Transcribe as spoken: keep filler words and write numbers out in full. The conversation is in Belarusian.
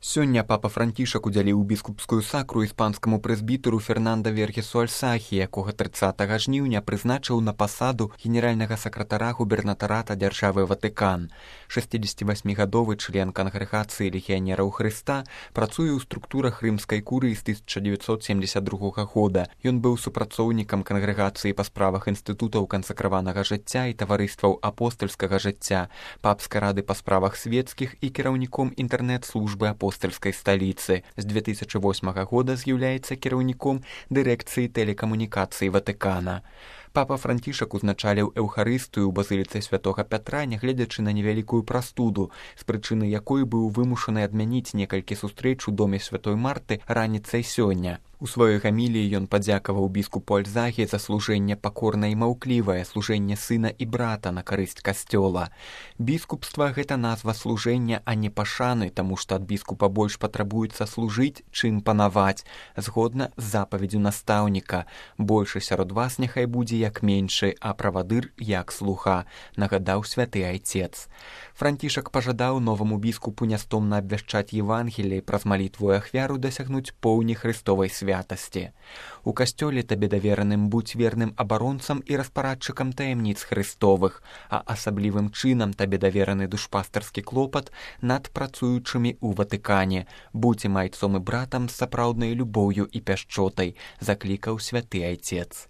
Сёння папа Францішак удзяліў біскупскую сакру іспанскаму прэзбітэру Фернанда Вергесу Альсахі, якога трыццатага жніўня прызначыў на пасаду генеральнага сакратара губернатарата дзяржавы Ватыкан. шэсцідзесяцівасьмігадовы член кангрэгацыі легіянераў Хрыста працуе ў структурах рымскай курыі з тысяча дзевяцьсот семдзесят другога года. Ён быў супрацоўнікам кангрэгацыі па справах інстытутаў кансакраванага жыцця і таварыстваў апостальскага жыцця, папскай рады па справах свецкіх і кіраўніком інтэрнэт-службы апостальскага апостальскай сталіцы. З две тысячы восьмага года з'яўляецца кіраўніком дырэкцыі тэлекамунікацый Ватыкана. Папа Францішак узначаліў эўхарыстыю ў базыліцы святога Пятра, нягледзячы на невялікую прастуду, з прычыны якой быў вымушаны адмяніць некалькі сустрэч у доме святой Марты раніцай сёння. У сваёй гаміліі ён падзякаваў біскупу Альзагі за служэнне пакорнае і маўклівае, служэнне сына і брата на карысць касцёла. Біскупства – гэта назва служэння, а не пашаны, таму што ад біскупа больш патрабуецца служыць, чым панаваць, згодна з запаведзю настаўніка. Большы сярод вас няхай будзе як меншы, а правадыр як слуга, нагадаў святы айцец. Францішак пажадаў новаму біскупу нястомна абвяшчаць Евангеліі, праз малітву і ахвяру дасягнуць поўні Христовай святасці. У касцёле табе давераным будзь верным абаронцам і распарадчыкам таямніц Христовых, а асаблівым чынам табе давераны душпастарскі клопат над працуючымі ў Ватыкане. Будзь майцом і братам з сапраўднай любоўю і пяшчотай, заклікаў святы айцец.